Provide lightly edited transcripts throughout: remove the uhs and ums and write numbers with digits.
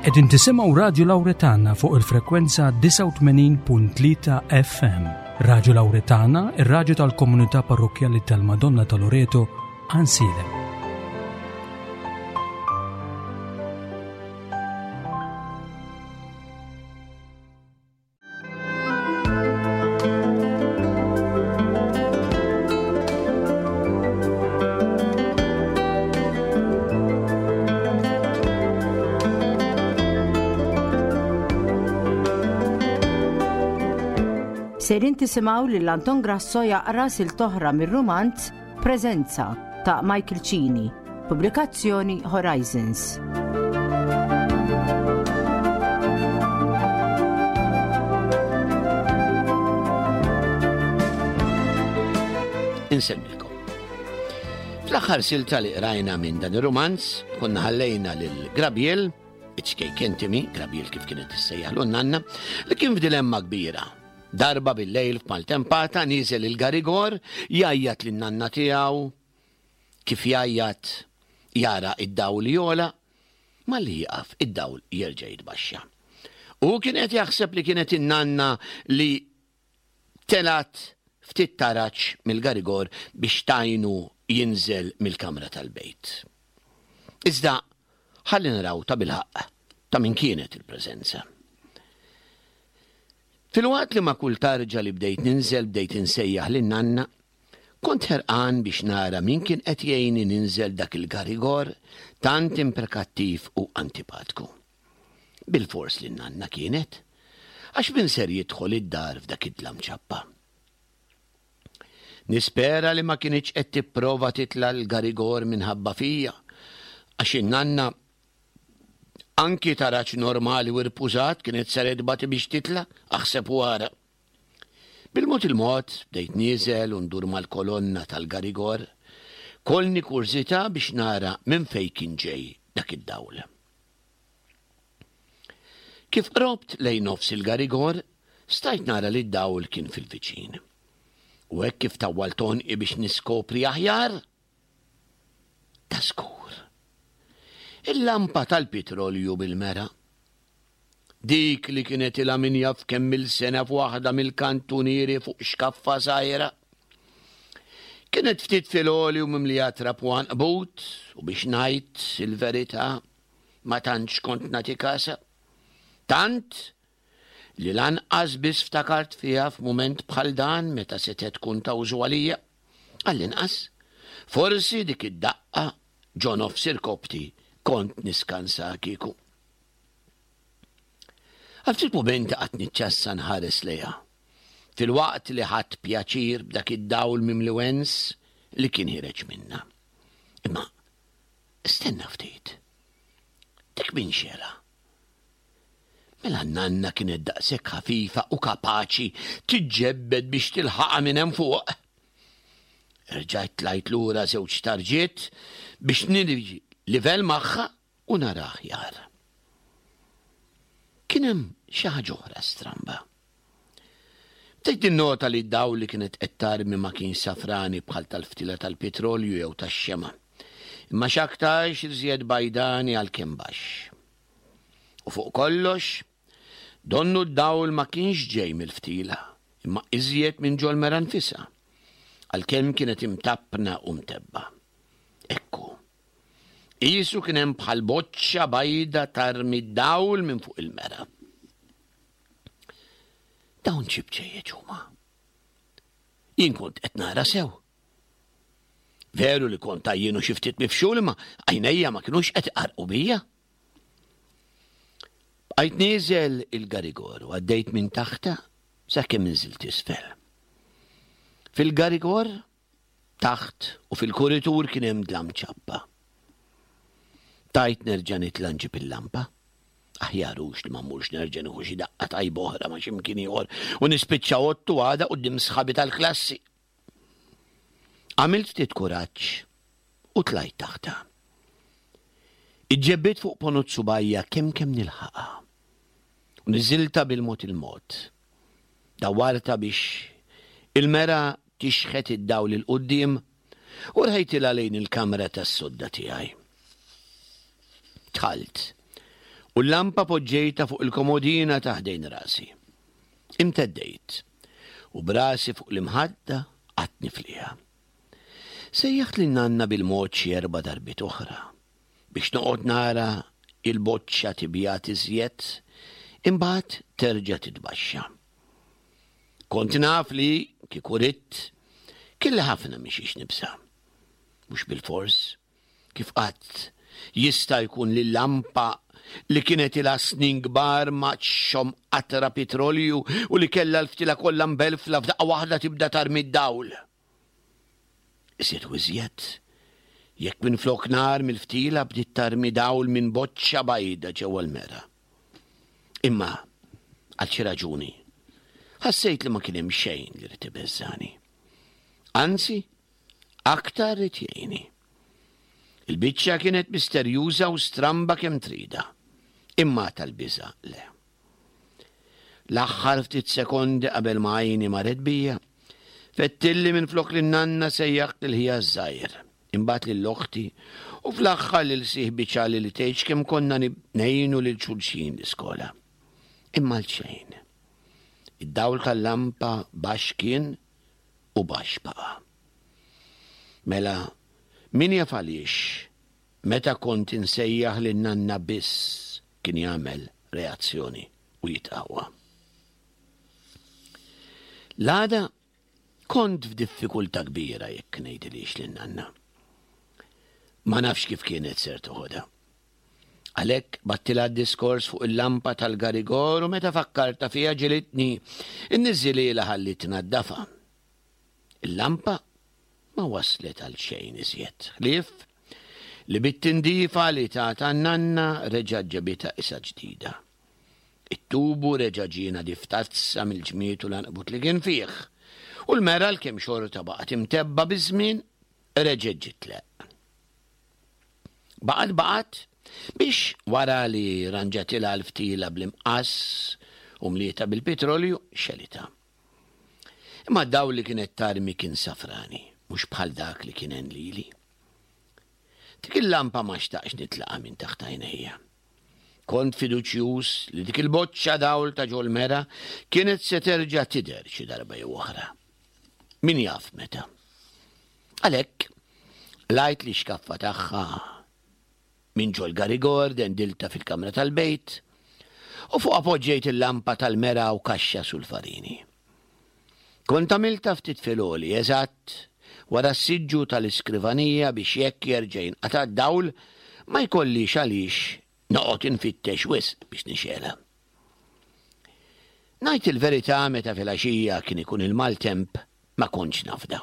Qegħdin tisimgħu Radju Lawretana fuq il-frekwenza 89.3 FM. Radju Lawretana, ir-radju tal-komunità parrokkjali tal-Madonna ta' Loreto, Ansilem. Sejrin tisimgħu lil Anton Grasso jaqra silta oħra mir-rumanz Preżenza ta' Michael Cini, pubblikazzjoni Horizons. Insemmilkom. Fl-aħħar silta li qrajna minn dan ir-rumanz, konna ħallejna lil Grabiel, iċ-ċkejken Timi, Grabiel kif kienet issejjaħlu nanna, li kien f'dilemma kbira. Darba bil-lejl f'maltempata niżel il-garigor jgħajjat lin-nanna tiegħu Kif jgħajjat, jara id-dawl jogħla, malli jieqaf id-dawl jerġa' jitbaxxa. Hu kien qed jaħseb li kienet in-nanna li telgħet ftit taraġ mill-garigor biex tgħinu jinżel mill-kamra tal-bejt. Iżda ħalli naraw tabilħaqq ta' min kienet il-preżenza. Filwaqt li ma' kull tarġa li bdejt ninżel bdejt insejjaħ lin-nanna, kont ħerqan biex nara min kien qed jgħinni ninżel dak il-garigor tant imprekattiv u antipatku. Bilfors li n-nanna kienet, għax min ser jidħol id-dar f'dak id-dlam ċappa? Nispera li ma kinitx qed tipprova titla' l-garigor minħabba fija, għax in-nanna Anki taraġ normali u rpużat kienet ser tbati biex titla', aħseb u ara. Bil-mod il-mod bdejt nieżel u ndur mal-kolonna tal-garigor, kollni kurżità biex nara minn fejn kien ġej dak id-dawl. Kif qrobt lejn nofs il-garigor, stajt nara li d-dawl kien fil-viċin. U hekk kif tawwalt għonqi biex niskopri aħjar, Ta' żgur. Il-lampa tal-pitrolju bil-mera. Dik li kienet ilha min jaf kemm-il sena f'waħda mill-kantunieri fuq xkaffa żgħira. Kienet ftit fil-għoli u mimlija trab u għanqbut u biex ngħid il-verità ma tantx kont nagħti kasha. Tant li lanqas biss ftakart fiha f'mument bħal dan meta setgħet tkun ta' użu għalija. Għall-inqas, forsi dik id-daqqa ġo nofs irkoppti kont niskansa kieku. Għal ftit mumenti qatt niċċassa nħares lejha, filwaqt li ħadt pjaċir b'dak id-dawl mimli wens li kien ħireġ minnha. Imma stenna ftit. Dik min xela? Mela n-nanna kienet daqshekk ħafifa u kapaċi tiġġebbed biex tilħaqha minn hemm fuq. Erġajt tlajt lura żewġ tarġiet biex niġi livell magħha u nara aħjar. Kien hemm xi ħaġa oħra stramba. Bdejt ninnota li d-dawl li kienet qed tarmi ma kienx safrani bħal tal-ftila tal-pitrolju jew tax-xemgħa, imma x'aktarx iżjed bajdani għalkemm baxx. U fuq kollox, donnu d-dawl ma kienx ġej mill-ftila, imma iżjed minn ġol-mera nfisha, għalkemm kienet imtappna u mtebba. Ekku. Qisu kien hemm bħal boċċa bajda tarmi d-dawl minn fuq il-mera. Dawn xi bċejjeċ huma? Jien kont qed nara sew. Veru li kont għajjien u xi ftit mifxul imma għajnejja ma kinux qed iqarrqu bija. Bqajt nieżel il-garigor u għaddejt minn taħtha sakemm inżilt isfel. Fil-garigor, taħt u fil-kuritur kien hemm dlam ċappa. Tajt nerġa' nitla' nġib il-lampa. Aħjar hux li ma mmurx nerġa' nieħu xi daqqa tajba oħra ma' xi mkien ieħor u nispiċċa għodtu għada quddiem sħabi tal-klassi. Għamilt ftit kuraġġ u tlajt taħtha. Iġġebbiet fuq ponot subgħajja kemm kemm nilħaqha. U niżiltha bil-mod il-mod. Dawwartha biex il-mera tixħet id-dawl 'il quddiem u rħejtilha lejn il-kamra tas-sodda tiegħi. Dħalt. U l-lampa poġġejtha fuq il-komodina ta' ħdejn rasi. Imteddejt, u b'rasi fuq l-imħadda qgħadt nifliha. Sejjaħt lil nanna bil-mod xi erba' darbiet oħra, biex noqgħod nara il-boċċa tibjad iżjed, imbagħad terġa' titbaxxa. Kont naf li, kieku ridt, kelli ħafna minn xiex nibża'. Mhux bilfors, Kif qatt jista' jkun li lampa li kienet ilha snin kbar ma txomm qatra pitrolju u li kellha l-ftila kollha mbelfla f'daqqa waħda tibda tarmi d-dawl? Iżjed u iżjed, jekk minflok nar mill-ftila bdiet tarmi dawl minn boċċa bajda ġewwa l-mera. Imma, għal xi raġuni, ħassejt li ma kien hemm xejn li ried ibeżżagħni. Anzi, Aktar ried jgħinni. Il-biċċa kienet misterjuża u stramba kemm tridha. Imma tal-biża' le. L-aħħar ftit sekondi qabel ma għajni marret bija, fettilli minflok lin-nanna sejjaħt lil ħija ż-żgħir, imbagħad lil oħti u fl-aħħar lil sieħbi Ċali li tgħidx kemm konna ngħinu lil xulxin l-iskola. Imma għal xejn. Id-dawl tal-lampa baxx kien u baxx baqa'. Mela, min jaf għaliex, meta kont insejjaħ lin-nanna biss kien jagħmel reazzjoni u jitqawwa. L-għada kont f'diffikultà kbira jekk ngħidilhiex lin-nanna. Ma nafx kif kienet ser toħodha. Għalhekk battilha d-diskors fuq il-lampa tal-garigor u meta fakkartha fiha ġilitni nniżżilhielha ħalli tnaddafha. Il-lampa ma waslet għal xejn iżjed, ħlief li bit-tindifa li tatha n-nanna reġgħet ġabitha qisha ġdida. It-tubu reġa' ġie nadif tazza mill-ġmied u l-għanqbut li kien fih, u l-mera għalkemm xorta baqgħet imtebba' biż-żmien, reġgħet ġiet tleqq. Baqgħet baqgħet biex wara li ranġatilha l-ftila bl-imqass u mlietha bil-pitrolju, xelitha. Imma d-dawl li kienet tarmi kien safrani, mhux bħal dak li kien għen lili. Dik il-lampa ma xtaqx nitlaqha minn taħt għajnejja. Kont fiduċjuż li dik il-boċċa dawl ta' ġol-mera kienet se terġa' tidher xi darba jew oħra. Min jaf meta. Għalhekk, qlajt l-ixkaffa tagħha minn ġol-garigor, dendiltha fil-kamra tal-bejt, u fuqha poġġejt il-lampa tal-mera u kaxxa sulfarini. Kont għamiltha ftit fil-għoli, eżatt wara s-siġġu tal-iskrivanija biex jekk jerġa' jinqata' d-dawl ma jkollix għaliex noqgħod infittex wisq biex nixgħelha. Ngħid il-verità meta filgħaxija kien ikun il-maltemp ma kontx nafda.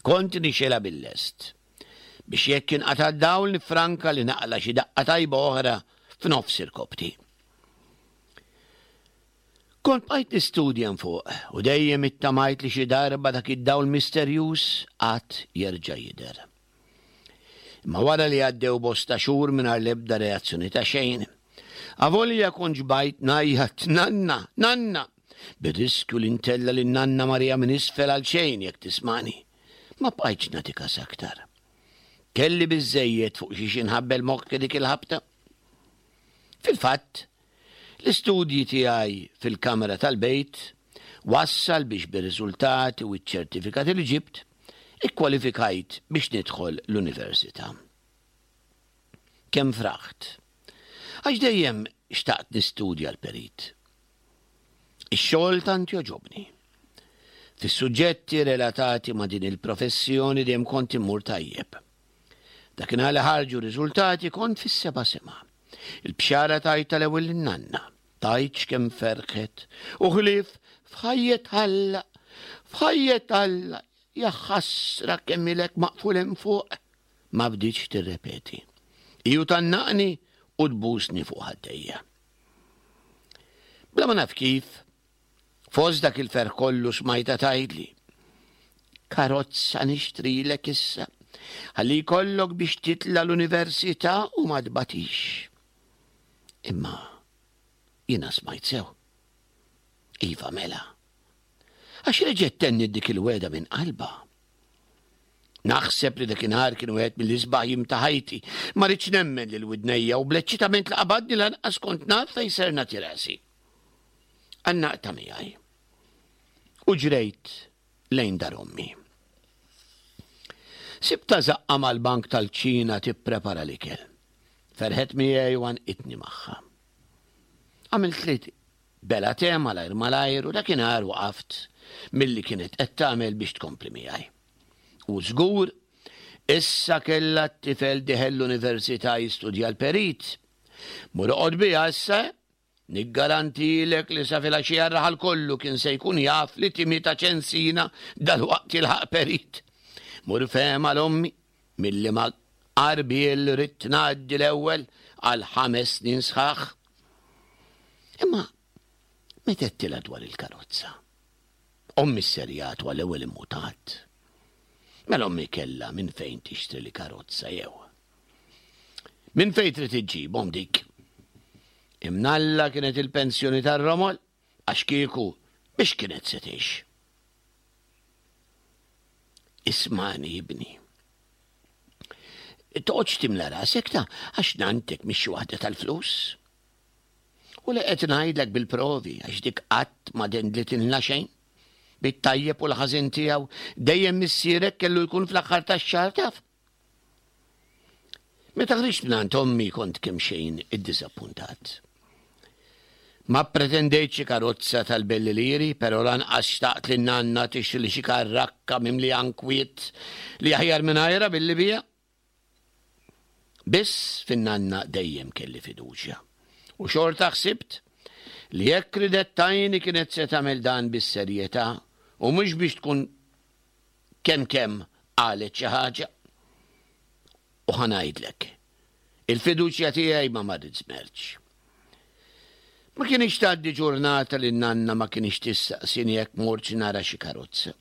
Kont nixgħelha bil-lest biex jekk inqata' d-dawl niffranka li naqla' xi daqqa tajba oħra f'nofs irkoppti. Kont bqajt nistudja 'n fuq u dejjem ittamajt li xi darba dak id-dawl misterjuż għad jerġa' jidher. Imma wara li għaddew bosta xhur mingħajr l-ebda reazzjoni ta' xejn, avolja kont xbajt ngħajjat Nanna! Nanna! Bir-riskju li ntella' lil Nanna Maria minn isfel għal xejn jekk tismagħni, ma bqajtx nagħti kas aktar. Kelli biżżejjed fuq xiex inħabbel moħħi dik il-ħabta. Fil-fatt, L-istudji tiegħi fil-kamra tal-bejt wassal biex bir-riżultati u ċ-ċertifikati li ġibt, ikkwalifikajt biex nidħol l-università. Kemm fraħt! Għax dejjem xtaqt nistudja l-perit. Ix-xogħol tant jogħġobni. Fis-suġġetti relatati ma' din il-professjoni dejjem kont immur tajjeb. Dakinhar li ħarġu r-riżultati kont fis-seba' sema. Il-bxara tajtha l-ewwel lin-nanna. Tgħidx kemm ferħet. U ħlief f'ħajjet Alla, f'ħajjet Alla, ja ħasra kemm ilek maqful hemm fuq. Ma bdietx tirrepeti. Hi u tgħannaqni u tbusni fuq ħaddejja. Bla ma naf kif, Fost dak il-ferħ kollu smajtha tgħidli, Karozza nixtrilek issa, ħalli jkollok biex titla' l-università u ma tbatix. Imma jiena smajt sew. Iva mela. Għax reġgħet tenniet dik il-wegħda minn qalbha. Naħseb li dakinhar kien wieħed mill-isbaħ jiem ta' ħajti. Ma ridtx nemmen lil widnejja u bl-eċċitament li qabadni lanqas kont naf fejn ser nagħti rasi. Għannaqtha miegħi. U ġrejt lejn dar ommi. Sibtha żaqqa mal-bank tal-kċina tipprepara l-ikel. Ferħet miegħi u għannqitni magħha. Għamiltli bela te malajr malajr u dakinhar waqaft milli kienet qed tagħmel biex tkompli miegħi. U żgur, issa kellha t-tifel dieħel l-università jistudja l-perit. Mur oqgħod biha issa, eh? Niggarantilek li sa filgħaxija r-raħal kollu kien se jkun jaf li Timmy ta' Ċensina dalwaqt jilħaq perit. Mur fehem għal ommi, milli ma għarbiel ridt ngħaddi l-ewwel għal ħames snin sħaħ. Imma meta għedtilha dwar il-karozza? Ommi sserjat u għall-ewwel immutat. Mela ommi kellha minn fejn tixtrili karozza jew? Minn fejn trid iġġibhom dik? Imnalla kienet il-pensjoni tar-romol, għax kieku biex kienet se tgħix. Ismani ibni. Toqgħodx timla rasek ta' għax nantek mhix xi waħda tal-flus. U li qed ngħidlek bil-provi għax dik qatt ma dendlitilna xejn. Bit-tajjeb u l-ħażin tiegħu dejjem missierek kellu jkun fl-aħħar tax-xahar taf. Meta ħriġt mingħand ommi kont kemxejn iddiżappuntat. Ma ppretendejt xi karozza tal-belli liri, però lanqas xtaqt li n-nanna tixtrili xi karrakka mimlija nkwiet li aħjar mingħajrha billi biha. Biss fin-nanna dejjem kelli fiduċja. U xorta ħsibt li jekk ridet tgħinni kienet se tagħmel dan bis-serjetà u mhux biex tkun Kemm kemm qalet xi ħaġa. U ħa ngħidlek, il-fiduċja tiegħi ma marrit żmerċ. Ma kinitx tgħaddi ġurnata li n-nanna ma kinitx tistaqsini jekk mortx nara xi karozza.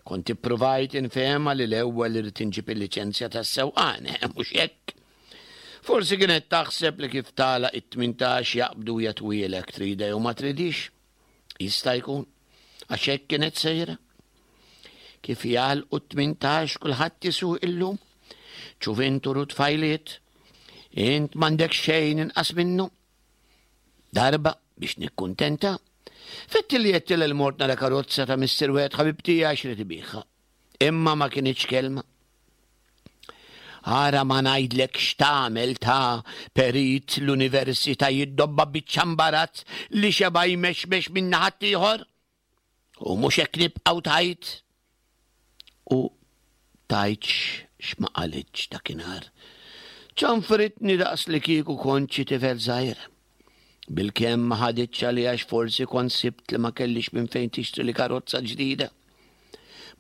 Kont ippruvajt infehemha li l-ewwel irid inġib il-liċenzja tas-sewqan, eh, mhux hekk? Forsi kienet taħseb li kif tagħlaq it-18 jaqbdu jagħtuhielek tridha jew ma tridhiex. Jista' jkun, għax hekk kienet sejra. Kif jagħlqu t-18 kulħadd isuq illum. Ċuvintur u tfajliet, int m'għandek xejn inqas minnu. Darba biex nikkuntenta, fetti li jettil il-mort nara karozza ta' missier wieħed ħabib tiegħi għax rid ibiħha. Imma ma kinitx kelma. Ara ma ngħidlek x'tagħmel ta' perit l-università jiddobba biċċa mbarazz li xeba' jmexmex minn naħa ieħor. U mhux hekk nibqgħu tgħid. U tgħidx x'ma qalitx dakinhar. Ċanfritni daqs li kieku kont xi tifel żgħir. Bilkemm ma ħaditx għalija għax forsi kont sibt li ma kellix minn fejn tixtrili karozza ġdida.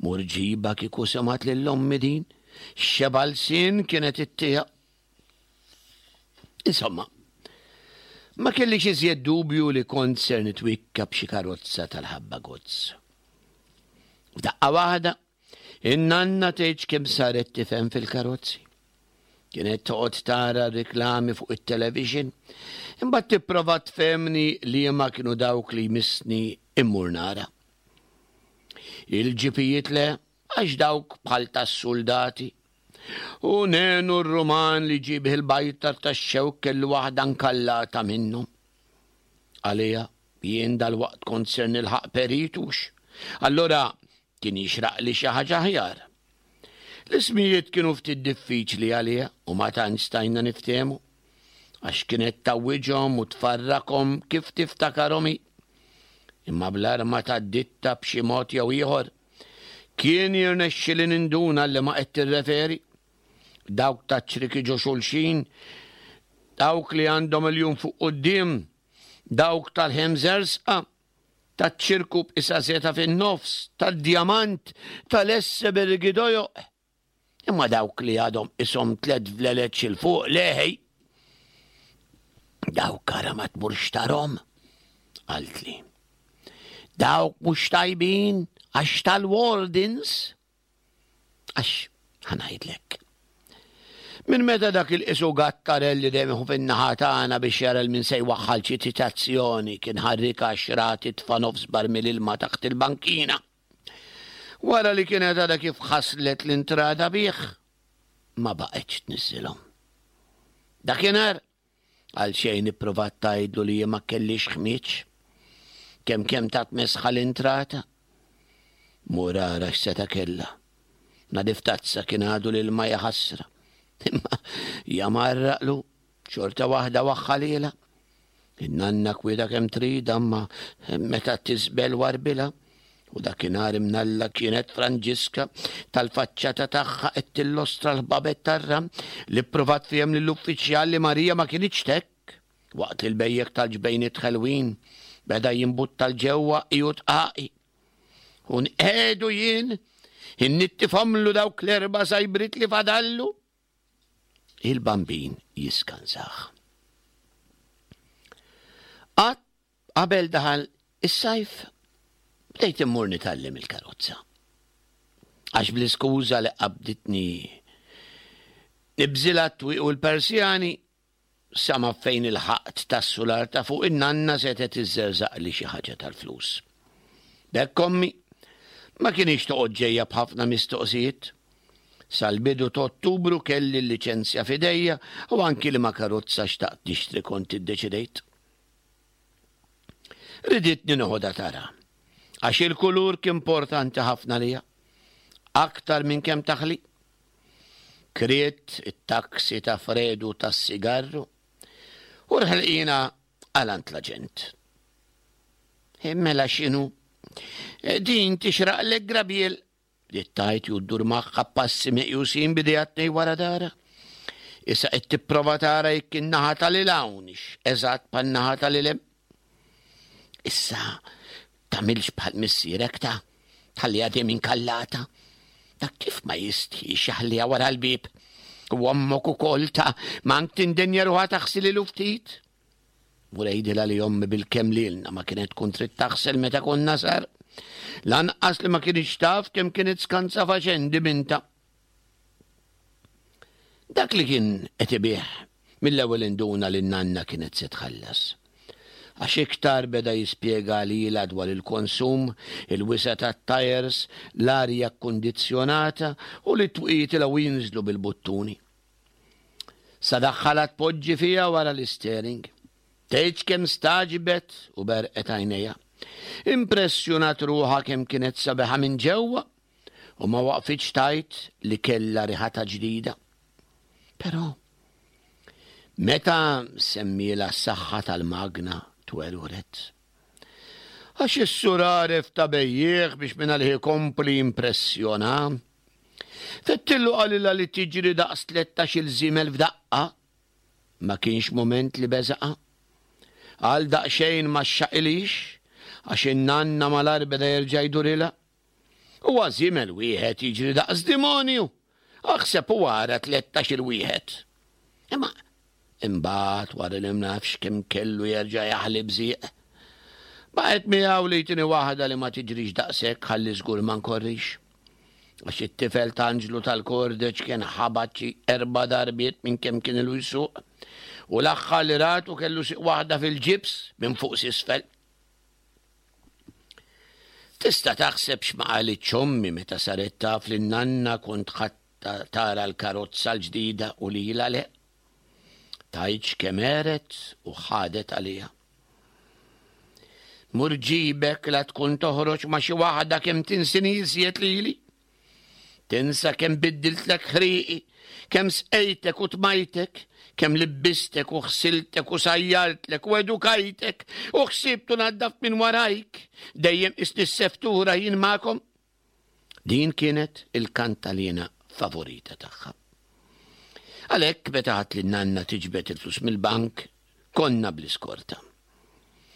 Mur ġibha kieku semgħet lil ommi din, x'xeba' lsien kienet ittiha. Insomma, ma kellix iżjed dubju li kont ser nitwikka b'xi karozza tal-ħabba gozz. F'daqqa waħda, In-nanna tgħidx kemm saret tifhem fil-karozzi. Kienet toqgħod tara r-riklami fuq it-television, imbagħad tipprova tfehmni liema kienu dawk li jmissni immur nara. Il-ġipijiet le, għax dawk bħal tas-suldati. U nenu r-Ruman li ġie bih il-bajtar tax-xewk kellu waħda nkallata minnhom. Għalija, jien dalwaqt kont ser nilħaq peritux. Allura Kien jixraqli xi ħaġa aħjar. L-ismijiet kienu ftit diffiċli għaliha u ma tantx stajna niftehmu, għax kienet tgħawwiġhom u tfarrakhom kif tiftakarhom hi. Imma bl-arma tad-ditta b'xi mod jew ieħor, kien jirnexxili ninduna għal liema qed tirreferi. Dawk taċ-ċriki ġo xulxin, dawk li għandhom il-jum fuq quddiem, dawk tal-ħemżersqa, taċ-ċirku b'qisha żeta fin-nofs, tad-djamant, tal-essebergi dojoq. Imma dawk li għadhom qishom tlett vleleċ 'il fuq, le ħej. Dawk ara ma tmurx tarhom, qaltli. Dawk mhux tajbin għax tal-wardens. Għax, ħa ngħidlek. Minn meta dak il-qisu gattarell li dejjem iħu fin-naħa tagħna biex jara 'l min se jwaħħal xi ċitazzjoni kien ħarrika għax ra titfa' nofs barmil ilma taħt il-bankina. Wara li kienet għadha kif ħaslet l-intrata bih, ma baqgħetx tniżżilhom. Dakinhar, għal xejn ipprovat tgħidlu li ma kellix ħmieġ. Kemm kemm tat mesħa l-intrata. Mur ara x'seta' kellha. Nadif tazza kien għadu l-ilma jaħasra. Imma jamarraqlu Xorta waħda waħħalilha. In-nanna kwieta kemm trid imma meta tisbel warbilha. U dakinhar imnalla kienet Franġiska tal-faċċata tagħha qed tillostra l-ħbabet tar-ram li ppruvat fihom lill-uffiċjal li Marija ma kinitx t'hekk. Waqt li l-bejjek tal-ġbejniet ħelwin beda jimbutta 'l ġewwa qiegħu tqaqi. U nqiegħdu jien innittifhomlu dawk l-erba' sajbrit li fadallu. Il-Bambin jiskansah. Qatt qabel daħal is-sajf bdejt immur nitgħallem il-karozza. Għax bl-iskuża li qabditni nibżilha t-twieq u l-Persjani, Sa ma fejn ilħaqt tas-sular ta' fuq in-nanna setgħet iżżerżaqli xi ħaġa tal-flus. B'hekk ommi ma kinitx toqgħod ġejja b'ħafna mistoqsijiet. Sal-bidu t'Ottubru kelli l-liċenzja f'idejja u anki liema karozza xtaqt nixtri kont iddeċidejt. Riditni noħodha tara, għax il-kulur kien importanti ħafna għalija, aktar minn kemm taħli. Kriet it-taksi ta' Fredu tas-sigarru u rħilqina għal għand l-aġent. Mela x'inhu? Din tixraqlek grabiel, bdiet tgħid ju ddur magħha b'passi meqjusin b'idejha tnej wara dara. Issa qed tipprova tara jekk in-naħa ta' lil hawn hix eżatt bħan-naħa ta' lil hemm. Issa tagħmilx bħal missierek ta' tħalliha dejjem inkallata. Dak kif ma jistħix jaħliha wara l-bieb. U ommok ukoll ta' mank tindenja ruħha taħsililu ftit. Mur għidilha li ommi bil-kemm lilna ma kienet tkun trid taħsel meta konna sar. Lanqas li ma kienx taf kemm kienet skanza faċendi binta. Dak li kien qed ibigħ mill-ewwel induna li n-nanna kienet se tħallas. Għax iktar beda jispjega lilha dwar il-konsum, il-wisa' tat-tajers, l-arja kkundizzjonata u li t-twieqi jitilgħu jinżlu bil-buttuni. Sa daħħalha tpoġġi fiha wara l-istering. Tgħidx kemm stagħġbet u berqet għajnejha. Impressjonat ruħha kemm kienet sabiħa minn ġewwa u ma waqfitx tgħid li kellha riħatha ġdida. Però, meta semmielha s-saħħa tal-magna twerwret. Għax is-sur għaref ta' bejjiegħ biex mingħalih ikompli jimpressjona. Fettillu qalilha li tiġri daqs tlettax-il żiemel f'daqqa. Ma kienx mument li beżaqha. Għal daqsxejn ma xxaqilhiex, għax in-nanna malajr beda jerġa' jdurilha. Huwa żiemel wieħed jiġri daqs dimonju! Aħseb u ara tlettax-il wieħed! Imma imbagħad wara li mnafx kemm kellu jerġa' jaħli bżieq. Baqgħet miegħu li jtini waħda li ma tiġrix daqshekk ħalli żgur ma nkorrix. Għax it-tifel t'Anġlu tal-Kordeċ kien ħabat xi erba' darbiet minn kemm kien ilu jsuq u l-aħħar li ratu kellu sieq waħda fil-ġibs minn fuq s'isfel. Tista' taħseb x'ma qalitx ommi meta saret taf li n-nanna kont ħadtha tara l-karozza l-ġdida u lilha le. Tgħidx kemm għeret u ħadet għaliha. Mur ġibek la tkun toħroġ ma' xi waħda kemm tinsini iżjed lili. Tinsa kemm biddiltlek ħrieqi, kemm sqejtek u tmajtek, kemm libbistek u ħsiltek u sajjartlek u edukajtek u ħsibt u naddaft minn warajk, dejjem qisni s-seftura jien magħkom. Din kienet il-kantalina favorita tagħha. Għalhekk meta ħadt lin-nanna tiġbed il-flus mill-bank, konna bl-iskorta.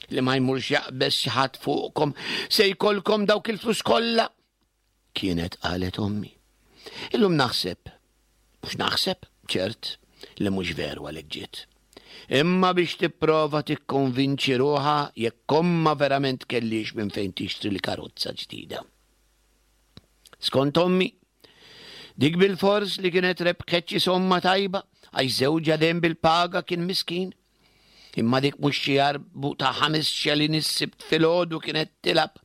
Li ma jmurx jaqbeż xi ħadd fuqkom se jkollkom dawk il-flus kollha Kienet qalet ommi. Illum naħseb, mhux naħseb, ċert, li mhux veru għalhekk ġiet. Imma biex tipprova tikkonvinċi ruħha jekk ommha verament kellhiex minn fejn tixtri l-karozza ġdida. Skont ommi, dik bilfors li kienet rebħet xi somma tajba għax żewġha dejjem bil-paga kien miskin. Imma dik mhux xi arbu ta' ħames xelin is-Sibt filgħodu kienet tilgħab,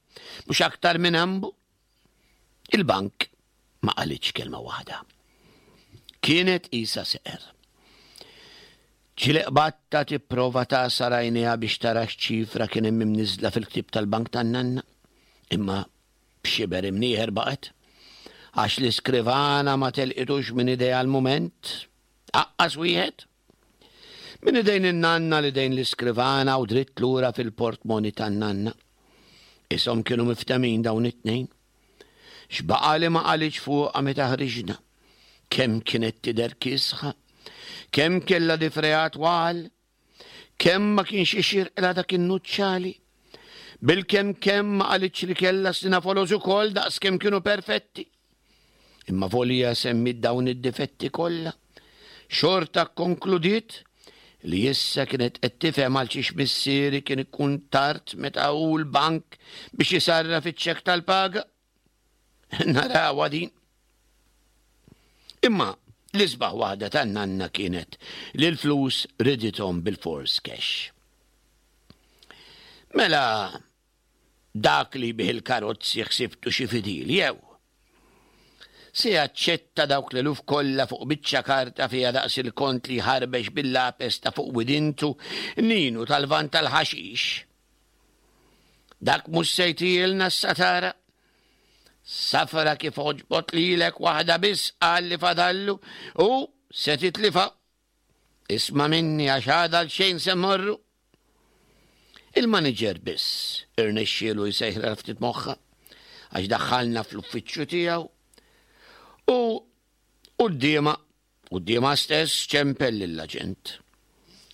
mhux aktar minn ambu. Il-bank ma qalitx kelma waħda. Kienet qisha seqer. Ġieli qbadtha tipprova tagħsar għajnejha biex tara x'ċifra kien hemm imniżżla fil-ktieb tal-bank tan-nanna. Imma b'xiber imnieħer baqgħet. Għax l-iskrivana ma telqitux minn idejha l-mument. Aqqas wieħed. Minn idejn in-nanna l idejn l-iskrivana u dritt lura fil-portmoni tan-nanna. Ishom kienu miftemin dawn it-tnejn. X'baqa' li ma qalitx fuqha meta ħriġna? Kemm kienet tidher kiesħa? Kemm kellha difrejha twal? Kemm ma kienx ixirqilha dak in-nuċċali? Bilkemm kemm ma qalitx li kellha sninha foloz ukoll daqs kemm kienu perfetti. Imma volja semmiet dawn id-difetti kollha, xorta kkonkludiet li issa kienet qed tifhem għal xiex missieri kien ikun tard meta hu l-bank biex isarraf iċ-ċekk tal-paga. Narawha din. Imma l-isbaħ waħda tan-nanna kienet li l-flus ridithom bil-fors cash. Mela Dak li jbigħ il-karozzi ħsibtu xi fidil jew? Se jaċċetta dawk l-eluf kollha fuq biċċa karta fiha daqs il-kont li jħarbex bil-lapes ta' fuq widintu Ninu tal-vann tal-ħaxix? Dak mhux se jtielna s-satara? Safra kif għoġbot lilek waħda biss qal li fadallu u se titlifha. Isma' minni għax għada għal xejn se mmorru. Il-maniġer biss irnexxielu jsejħilha ftit moħħha għax daħħalna fl-uffiċċju tiegħu u quddiemha quddiemha stess ċempel lill-aġent.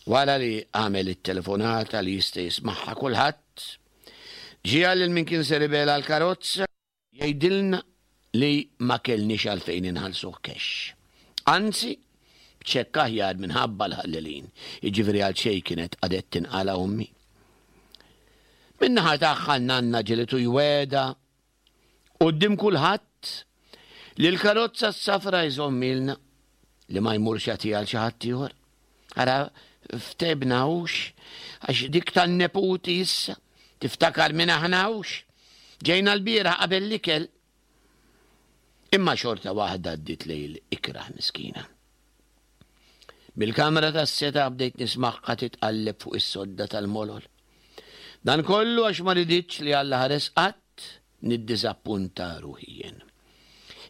Wara li għamel it-telefonata li jista' jismagħha kulħadd, ġiegħel lil min kien ser ibegħlha l-karozza Jgħidilna li ma kellniex għalfejn inħallsuh cash. Anzi, b'ċekk aħjar minħabba l-ħallelin, jiġifieri għal xejn kienet qagħdet tinqala' ommi. Min-naħa tagħha n-nanna ġielitu jwegħda quddiem kulħadd li l-karozza s-safra jżommilna li ma jmurx jagħtiha għal xi ħadd ieħor. Ara ftebna hux għax dik tan-neputi issa tiftakar minn aħna hux. Ġejna l-bieraħ qabel l-ikel. Imma xorta waħda għaddiet lejl ikrah miskina. Mill-kamra tas-seta bdejt nismagħha titqalleb fuq is-sodda tal-molol. Dan kollu għax ma riditx li Alla ħares qatt niddiżappunta ruħi jien.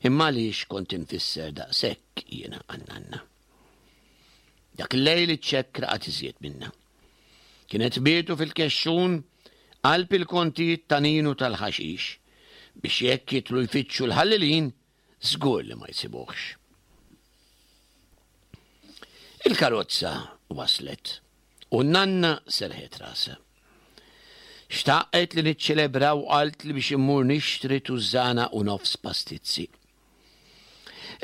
Imma għaliex kont infisser daqshekk jiena għan-nanna? Dak il-lejl iċ-ċekk raqad iżjed minna. Kienet bietu fil-kexxun qalb il-kontijiet ta' Ninu tal-ħaxix biex jekk jidħlu jfittxu l-ħallelin żgur li ma jsibuhx. Il-karozza waslet u n-nanna serħet rasha. Xtaqet li niċċelebraw qaltli biex immur nixtri tużżana u nofs pastizzi.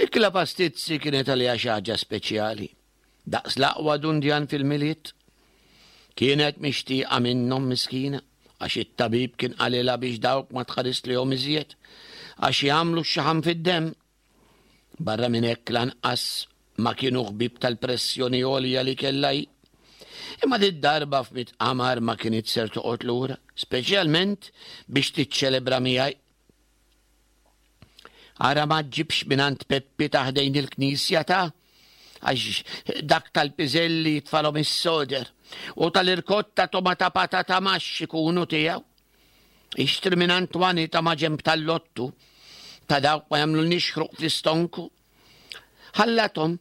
Ikla pastizzi kienet għaliha xi ħaġa speċjali, daqs l-aqwa dundjan fil-Milied. Kienet mixtieqa minnhom miskina, għax it-tabib kien qalilha biex dawk ma tħarislihom iżjed, għax jagħmlu x-xaħam fid-demm. Barra minn hekk lanqas ma kienu ħbieb tal-pressjoni għolja li kellha hi. Imma did-darba f'Miet Qamar ma kinitx ser toqgħod lura, speċjalment biex tiċċelebra miegħi. Ara ma ġġibx mingħand Peppi ta' ħdejn il-knisja ta' għax dak tal-piżelli jitfalhom is-soder u tal-irkotta tomata patata maxx ikunu tiegħu. Ixtri mingħand Twani ta' maġenb tal-lottu ta' dawk ma jagħmlulniex ħruq fl-istonku. Ħallathom,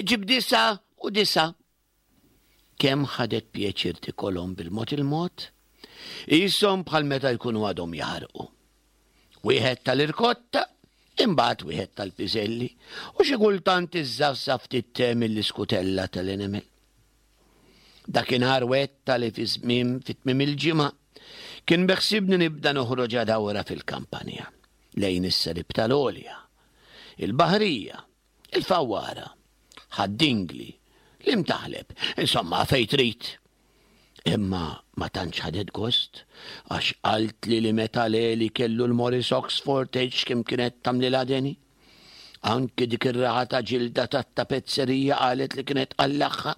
ġib 99. Kemm ħadet pjaċir tikolhom bil-mod il-mod, qishom bħal meta jkunu għadhom jaħarqu. Wieħed tal-irkotta, imbagħad wieħed tal-piżelli, u xi kultant iżżafżaf ftit te mill-iskutella tal-enemel. Dakinhar wegħdtha li fi żmien fi tmiem il-ġimgħa kien beħsiebni nibda noħroġha dawra fil-kampanja, lejn is-Serib tal-Għolja, il-Baħrija, Il-Fawwara, Ħad-Dingli, l-Imtaħleb, insomma fejn trid. Imma ma tantx ħadet gost għax qaltli li meta Leli kellu l-Morris Oxford tgħidx kemm kienet tagħmlilha deni. Anki dik ir-raħa ta' ġilda tat-tapezzerija qalet li kienet tqallagħha.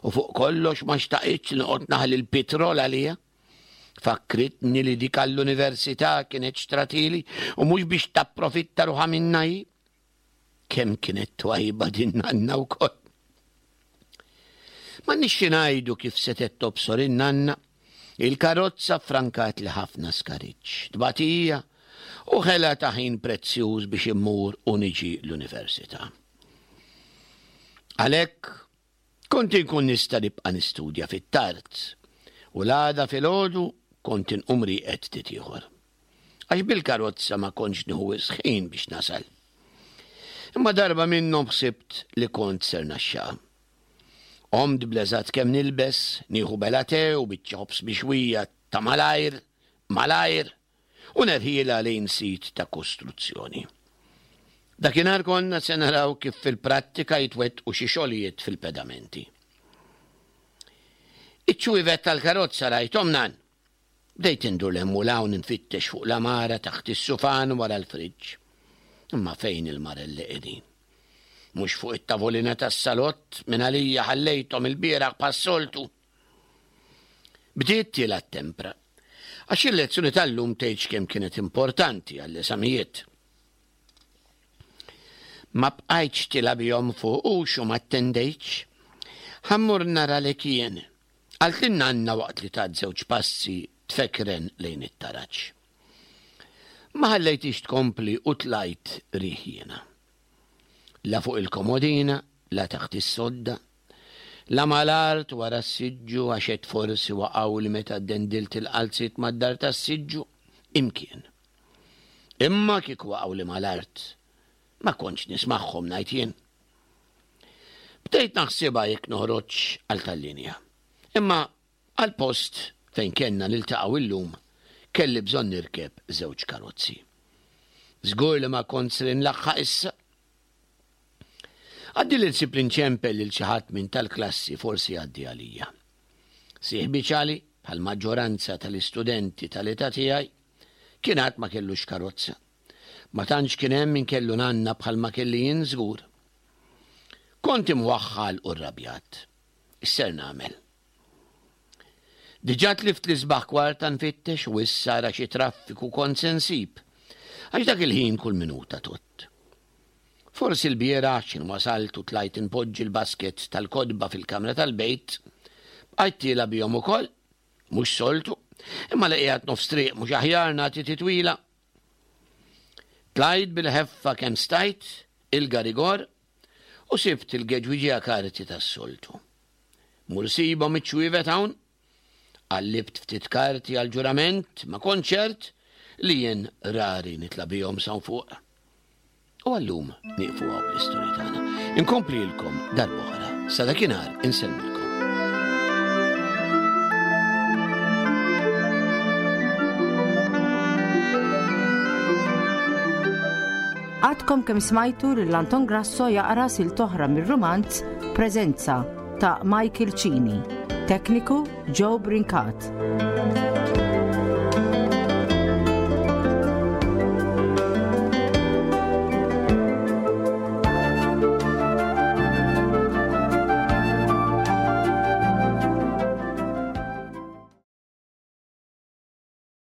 U fuq kollox ma xtaqitx li noqgħod naħli l-pitrol għaliha. Fakkritni li dik għall-università kienet xtratili u mhux biex tapprofitta ruħha minnha hi. Kemm kienet twajba din nanna wkoll. M'għandniex xi ngħidu kif setgħet tobsor in-nanna, il-karozza ffrankatli ħafna skariġġ, tbatija u ħela ta' ħin prezzjuż biex immur u niġi l-università. Għalhekk, kont inkun nista' nibqa' nistudja fit-tard u l-għada filgħodu kont inqum rieqed ftit ieħor. Għax bil-karozza ma kontx nieħu wisq ħin biex nasal. Imma darba minnhom ħsibt li kont ser naxxaqha. Qomt bl-eżatt kemm nilbes, nieħu bela te u biċċa ħobż mixwija ta' malajr, malajr, u nerħilha lejn sit ta' kostruzzjoni. Dakinhar konna se naraw kif fil-prattika jitwettqu xi xogħlijiet fil-pedamenti. Iċ-ċwievet tal-karozza rajthom nan. Bdejt indur 'l hemm u 'l hawn infittex fuq l-għamara taħt is-sufan wara l-friġġ. Imma fejn il-marelli qegħdin? Mhux fuq it-tavolina tas-salott minn għalija ħallejthom ilbieraħ bħas-soltu. Bdiet tiela' t-tempra. Għax il-lezzjoni tal-lum tgħidx kemm kienet importanti għall-eżamijiet. Ma bqajtx tila' bihom fuq hux u ma attendejtx. Ħa mmur nara lek jien, qaltli n-nanna waqt li tat żewġ passi tfekren lejn it-taraġ. Ma ħallejthiex tkompli u tlajt riħ jiena. La fuq il-komodina, la taħt is-sodda, la mal-art wara s-siġġu għax għedt forsi waqgħuli meta ddendilt il-qalziet mad-dar tas-siġġu, imkien. Imma kieku waqgħuli mal-art, ma kontx nismagħhom ngħid jien. Bdejt naħsibha jekk noħroġx għal tal-linja. Imma Għall-post fejn kellna niltaqgħu illum kelli bżonn nirkeb żewġ karozzi. Żgur li ma kont ser inlaħħaq issa. Għaddieli nsib li nċempel lil xi ħadd minn tal-klassi forsi jgħaddi għalija. Sieħbi Ċali, bħall-maġġoranza tal-istudenti tal-età tiegħi, kien għad ma kellux karozza. Ma tantx kien hemm min kellu nanna bħalma kelli jien żgur. Kont imwaħħal u rrabjat. X'ser nagħmel? Diġà tlift l-isbaħ kwarta nfittex u issa ara xi traffiku kont se nsib, għax dak il-ħin kull minuta tgħodd. Forsi lbieraħ x'ħin wasalt u tlajt inpoġġi l-basket tal-kotba fil-kamra tal-bejt, bqajt tiela' bihom ukoll, mhux soltu, imma li qiegħed nofs triq mhux aħjar nagħti titwila. Tlajt bil-ħeffa kemm stajt, il-garigor, u sibt il-geġwiġija karti tas-soltu. Mur sibhom iċ-ċwievet hawn. Qallibt ftit karti għall-ġurament, ma kontx ċert li jien rari nitla' bihom s'hawn fuq. U għallum nieqfu hawn bl-istorja tagħna. Inkomplilkom darb'oħra. Sa dakinhar insellmilkom. Għadkom kemm smajtu lil Anton Grasso jaqra silt oħra mir-rumanz Preżenza ta' Michael Cini. Tekniku Joe Brincat.